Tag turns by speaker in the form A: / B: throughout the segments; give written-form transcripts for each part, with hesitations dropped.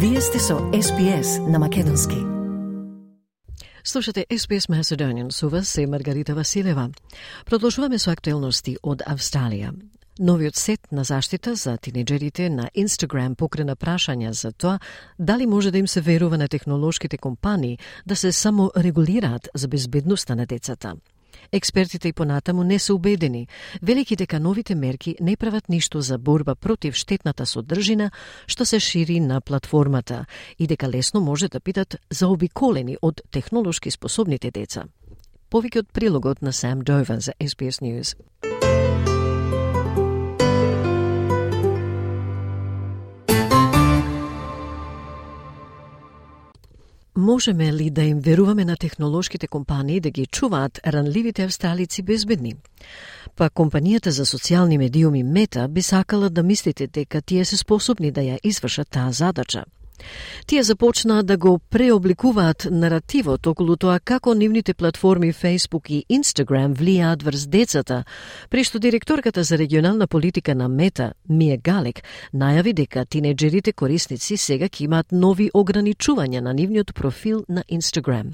A: Вие сте со SBS на македонски.
B: Слушате SBS Macedonian, со вас е Маргарита Василева. Продолжуваме со актуелности од Австралија. Новиот сет на заштита за тинеџерите на Instagram покрена прашања за тоа дали може да им се верува на технолошките компании да се саморегулираат за безбедноста на децата. Експертите и понатаму не се убедени, велики дека новите мерки не прават ништо за борба против штетната содржина што се шири на платформата и дека лесно може да бидат заобиколени од технолошки способните деца. Повеќе од прилогот на Сам Довер за SBS News. Можеме ли да им веруваме на технолошките компании да ги чуваат ранливите австралици безбедни? Па компанијата за социјални медиуми Мета би сакала да мислите дека тие се способни да ја извршат таа задача. Тие започнаа да го преобликуваат наративот околу тоа како нивните платформи Facebook и Instagram влијаат врз децата, прешто директорката за регионална политика на Мета, Мија Галек, најави дека тинеџерите корисници сега ќе имаат нови ограничувања на нивниот профил на Instagram.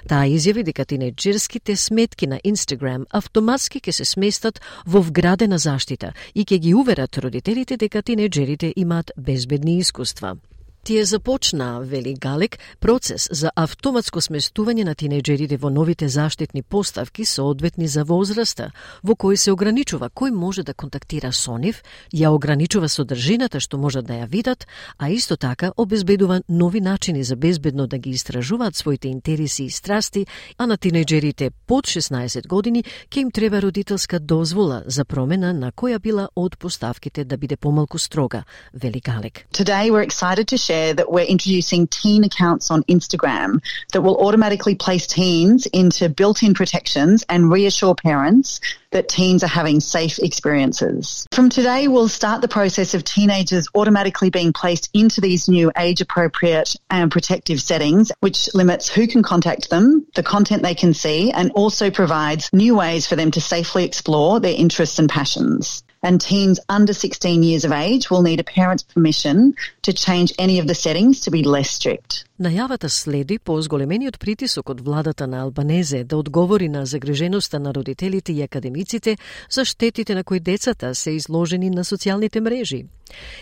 B: Таа изјави дека тинеџерските сметки на Instagram автоматски ќе се сместат во вградена заштита и ќе ги уверат родителите дека тинеџерите имаат безбедни искуства. Тие започнаа, вели Галек, процес за автоматско сместување на тинеџерите во новите заштитни поставки соодветни за возраста, во кој се ограничува кој може да контактира со нив, ја ограничува содржината што можат да ја видат, а исто така обезбедува нови начини за безбедно да ги истражуваат своите интереси и страсти, а на тинеџерите под 16 години ќе им треба родителска дозвола за промена на која била од поставките да биде помалку строга, вели Галек.
C: Today we're excited to share that we're introducing teen accounts on Instagram that will automatically place teens into built-in protections and reassure parents that teens are having safe experiences. From today, we'll start the process of teenagers automatically being placed into these new age-appropriate and protective settings, which limits who can contact them, the content they can see, and also provides new ways for them to safely explore their interests and passions. And teens under 16 years of age will need a parent's permission to change any of the settings to be less strict.
B: Најавата следи по зголемениот притисок од владата на Албанезе да одговори на загриженоста на родителите и академиците за штетите на кои децата се изложени на социјалните мрежи.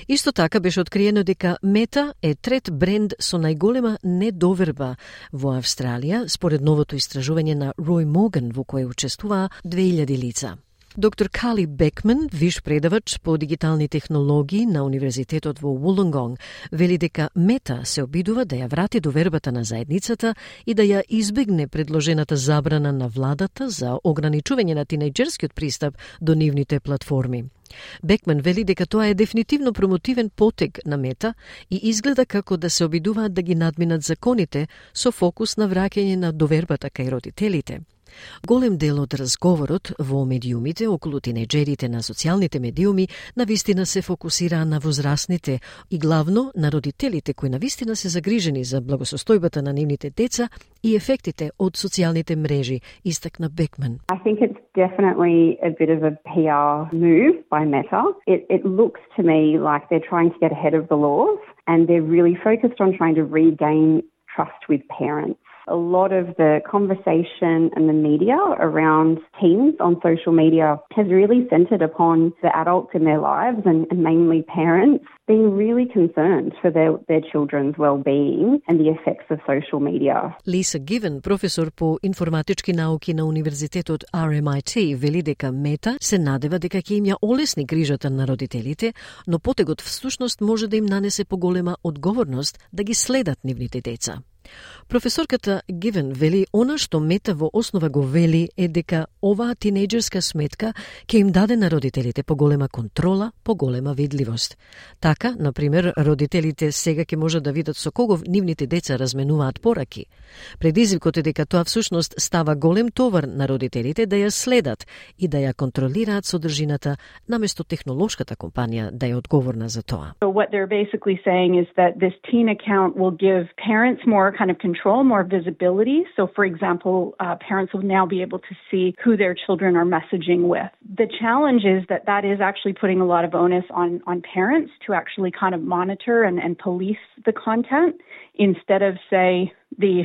B: Исто така беше откриено дека Мета е трет бренд со најголема недоверба во Австралија, според новото истражување на Рој Морган во кое учествуваа 2000 лица. Доктор Кали Бекман, виш предавач по дигитални технологии на Универзитетот во Вулонгонг, вели дека Мета се обидува да ја врати довербата на заедницата и да ја избегне предложената забрана на владата за ограничување на тинеџерскиот пристап до нивните платформи. Бекман вели дека тоа е дефинитивно промотивен потег на Мета и изгледа како да се обидуваат да ги надминат законите со фокус на враќање на довербата кај родителите. Голем дел од разговорот во медиумите околу тинеџерите на социјалните медиуми навистина се фокусираа на возрастните и главно на родителите кои навистина се загрижени за благосостојбата на нивните деца и ефектите од социјалните мрежи, истакна Бекман.
D: I think it's definitely a bit of a PR move by Meta. It looks to me like they're trying to get ahead of the laws and they're really focused on trying to regain trust with parents. A lot of the conversation and the media around teens on social media has really centred upon the adults in their lives and mainly parents being really concerned for their children's well-being and the effects of social media.
B: Lisa Given, професор по информатички науки на Универзитетот RMIT, вели дека Мета се надева дека ќе им ја олесни грижата на родителите, но потегот всушност може да им нанесе поголема одговорност да ги следат нивните деца. Професорката Гивен вели она што Мета во основа го вели е дека оваа тинеџерска сметка ќе им даде на родителите поголема контрола, поголема видливост. Така, например, родителите сега ќе можат да видат со кого нивните деца разменуваат пораки. Предизвикот е дека тоа всушност става голем товар на родителите да ја следат и да ја контролираат содржината наместо технолошката компанија да е одговорна за тоа.
E: So what they're basically saying is that this teen account will give parents more more kind of control, more visibility. So, for example, parents will now be able to see who their children are messaging with. The challenge is that is actually putting a lot of onus on parents to actually kind of monitor and police the content instead of, say, the,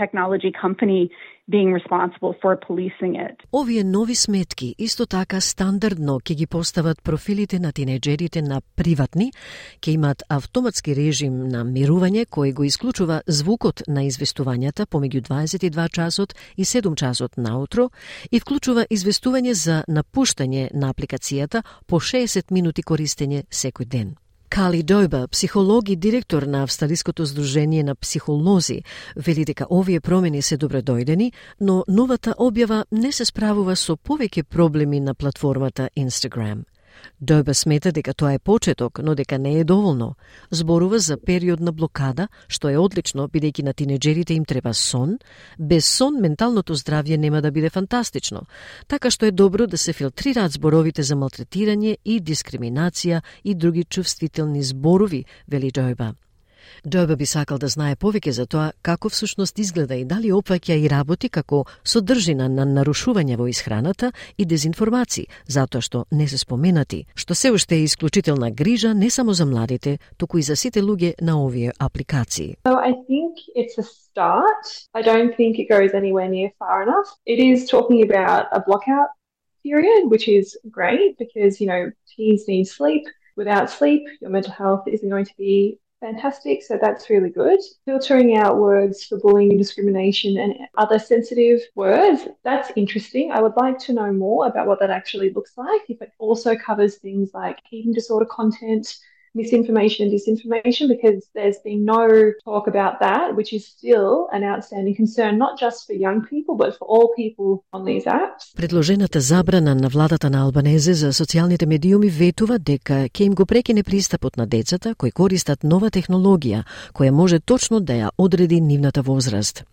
E: technology company being responsible for policing it.
B: Овие нови сметки исто така стандардно ќе ги постават профилите на тинеџерите на приватни, ќе имаат автоматски режим на мирување кој го исклучува звукот на известувањата помеѓу 22 часот и 7 часот наутро и вклучува известување за напуштање на апликацијата по 60 минути користење секој ден. Кали Дојба, психолог и директор на Австралиското здружение на психолози, вели дека овие промени се добредојдени, но новата објава не се справува со повеќе проблеми на платформата Instagram. Дојба смета дека тоа е почеток, но дека не е доволно. Зборува за период на блокада, што е одлично, бидејќи на тинеџерите им треба сон. Без сон менталното здравје нема да биде фантастично. Така што е добро да се филтрираат зборовите за малтретирање и дискриминација и други чувствителни зборови, вели Дојба. Дојба би сакал да знае повеќе за тоа како всушност изгледа и дали опфаќа и работи како содржина на нарушување во исхраната и дезинформации, затоа што не се споменати, што се уште е исклучителна грижа не само за младите, туку и за сите луѓе на овие апликации.
F: So I think it's a start. I don't think it goes anywhere near far enough. It is talking about a blockout period, which is great because, teens need sleep. Without sleep, your mental health isn't going to be fantastic, so that's really good. Filtering out words for bullying and discrimination and other sensitive words, that's interesting. I would like to know more about what that actually looks like, if it also covers things like eating disorder content, misinformation and disinformation, because there's been no talk about that, which is still an outstanding concern, not just for young people, but for all people on these apps.
B: Предложената забрана на владата на Албанезе за социјалните медиуми ветува дека ќе им го прекине пристапот на децата кои користат нова технологија, која може точно да ја одреди нивната возраст.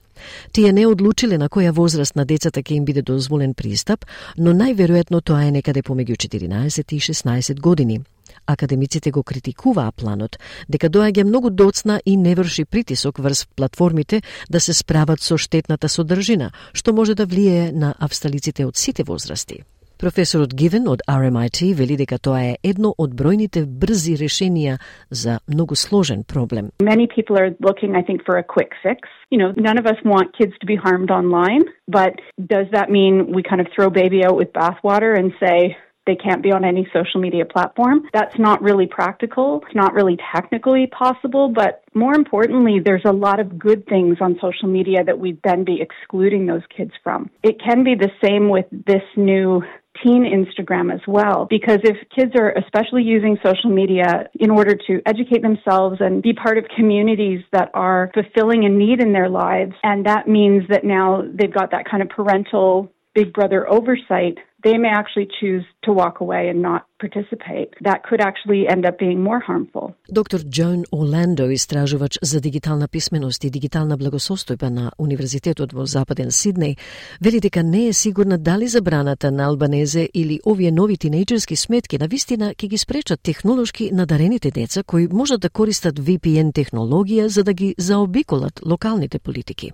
B: Тие не одлучиле на која возраст на децата ќе им биде дозволен пристап, но најверојатно тоа е некаде помеѓу 14 и 16 години. Академиците го критикуваа планот, дека доаѓа многу доцна и не врши притисок врз платформите да се справат со штетната содржина, што може да влијае на австралиците од сите возрасти. Професорот Гивен од RMIT вели дека тоа е едно од бројните брзи решенија за многу сложен проблем.
E: Many people are looking, I think, for a quick fix. None of us want kids to be harmed online, but does that mean we kind of throw baby out with bathwater and say they can't be on any social media platform? That's not really practical. It's not really technically possible, but more importantly, there's a lot of good things on social media that we'd then be excluding those kids from. It can be the same with this new teen Instagram as well, because if kids are especially using social media in order to educate themselves and be part of communities that are fulfilling a need in their lives, and that means that now they've got that kind of parental big brother oversight, they may actually choose to walk away and not participate. That could actually end up being more harmful.
B: Доктор Джон Оландо, истражувач за дигитална писменост и дигитална благосостојба на Универзитетот во Западен Сиднеј, вели дека не е сигурна дали забраната на Албанезе или овие нови тинејџерски сметки навистина ќе ги спречат технолошки надарените деца кои можат да користат VPN технологија за да ги заобиколат локалните политики.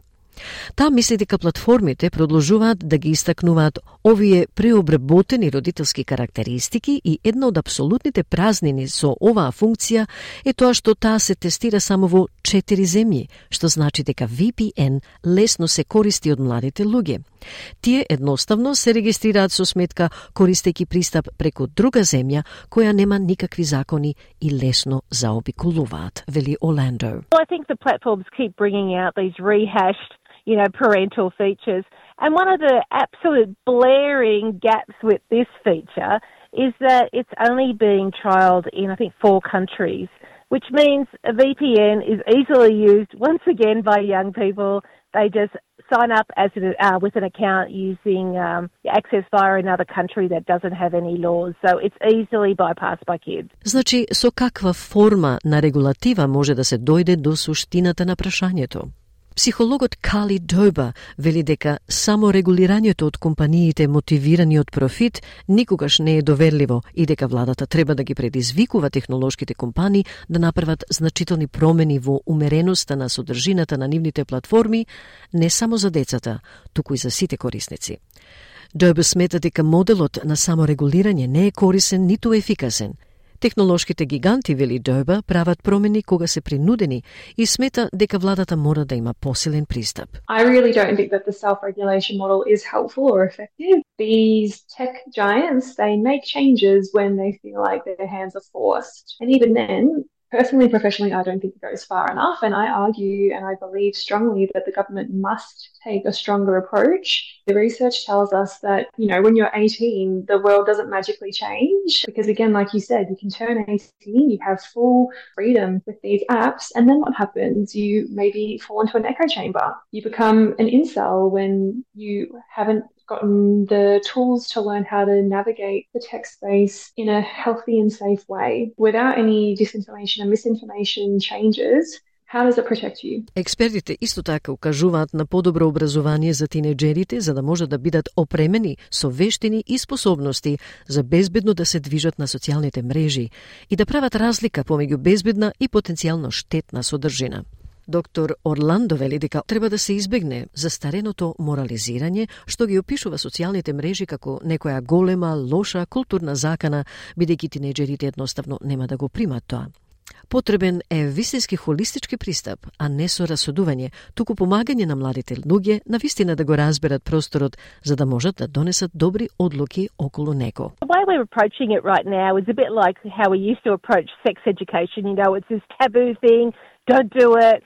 B: Таа мисли дека платформите продолжуваат да ги истакнуваат овие преобработени родителски карактеристики и една од апсолутните празнини со оваа функција е тоа што таа се тестира само во 4 земји, што значи дека VPN лесно се користи од младите луѓе. Тие едноставно се регистрираат со сметка користејќи пристап преку друга земја која нема никакви закони и лесно заобиколуваат, вели Оландо.
G: Well, I think the platforms keep bringing out these rehashed parental features. And one of the absolute blaring gaps with this feature is that it's only being trialled in, I think, 4 countries, which means a VPN is easily used, once again, by young people. They just sign up with an account using access via another country that doesn't have any laws. So it's easily bypassed by kids.
B: Значи, со каква форма на регулатива може да се дојде до суштината на прашањето? Психологот Кали Дойба вели дека саморегулирањето од компаниите мотивирани од профит никогаш не е доверливо и дека владата треба да ги предизвикува технолошките компании да направат значителни промени во умереноста на содржината на нивните платформи не само за децата, туку и за сите корисници. Дойба смета дека моделот на саморегулирање не е корисен ниту ефикасен. Технолошките гиганти, вели Дойба, прават промени кога се принудени и смета дека владата мора да има посилен пристап.
F: I really don't think that the self-regulation model is helpful or effective. These tech giants, they make changes when they feel like their hands are forced. And even then, personally, professionally, I don't think it goes far enough. And I argue and I believe strongly that the government must take a stronger approach. The research tells us that, when you're 18, the world doesn't magically change. Because again, like you said, you can turn 18, you have full freedom with these apps. And then what happens? You maybe fall into an echo chamber. You become an incel when you haven't gotten the tools to learn how to navigate the tech space in a healthy and safe way. Without any disinformation and misinformation changes, how does it protect you?
B: Експертите исто така укажуваат на подобро образование за тинеџерите за да може да бидат опремени со вештини и способности за безбедно да се движат на социјалните мрежи и да прават разлика помеѓу безбедна и потенцијално штетна содржина. Доктор Орландо вели дека треба да се избегне застареното морализирање што ги опишува социјалните мрежи како некоја голема, лоша културна закана, бидејќи тинеџерите едноставно нема да го примат тоа. Потребен е вистински холистички пристап, а не со расудување, туку помагање на младите луѓе навистина да го разберат просторот за да можат да донесат добри одлуки околу него.
G: The way we're approaching it right now is a bit like how we used to approach sex education. It's this taboo thing, don't do it,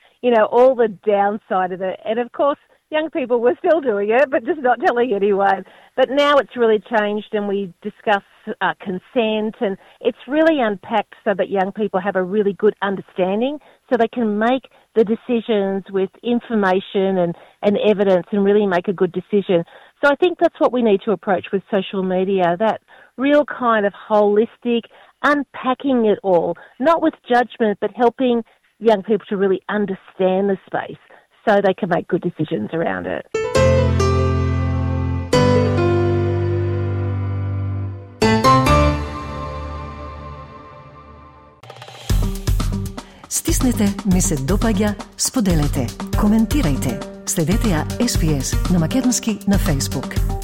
G: all the downside of it. And of course, young people were still doing it, but just not telling anyone. But now it's really changed and we discuss consent and it's really unpacked so that young people have a really good understanding so they can make the decisions with information and evidence and really make a good decision. So I think that's what we need to approach with social media, that real kind of holistic, unpacking it all, not with judgment, but helping young people to really understand the space so they can make good decisions around it.
A: Стиснете, ми се допаѓа, споделете, коментирајте. Следете ја SPS на Македонски на Facebook.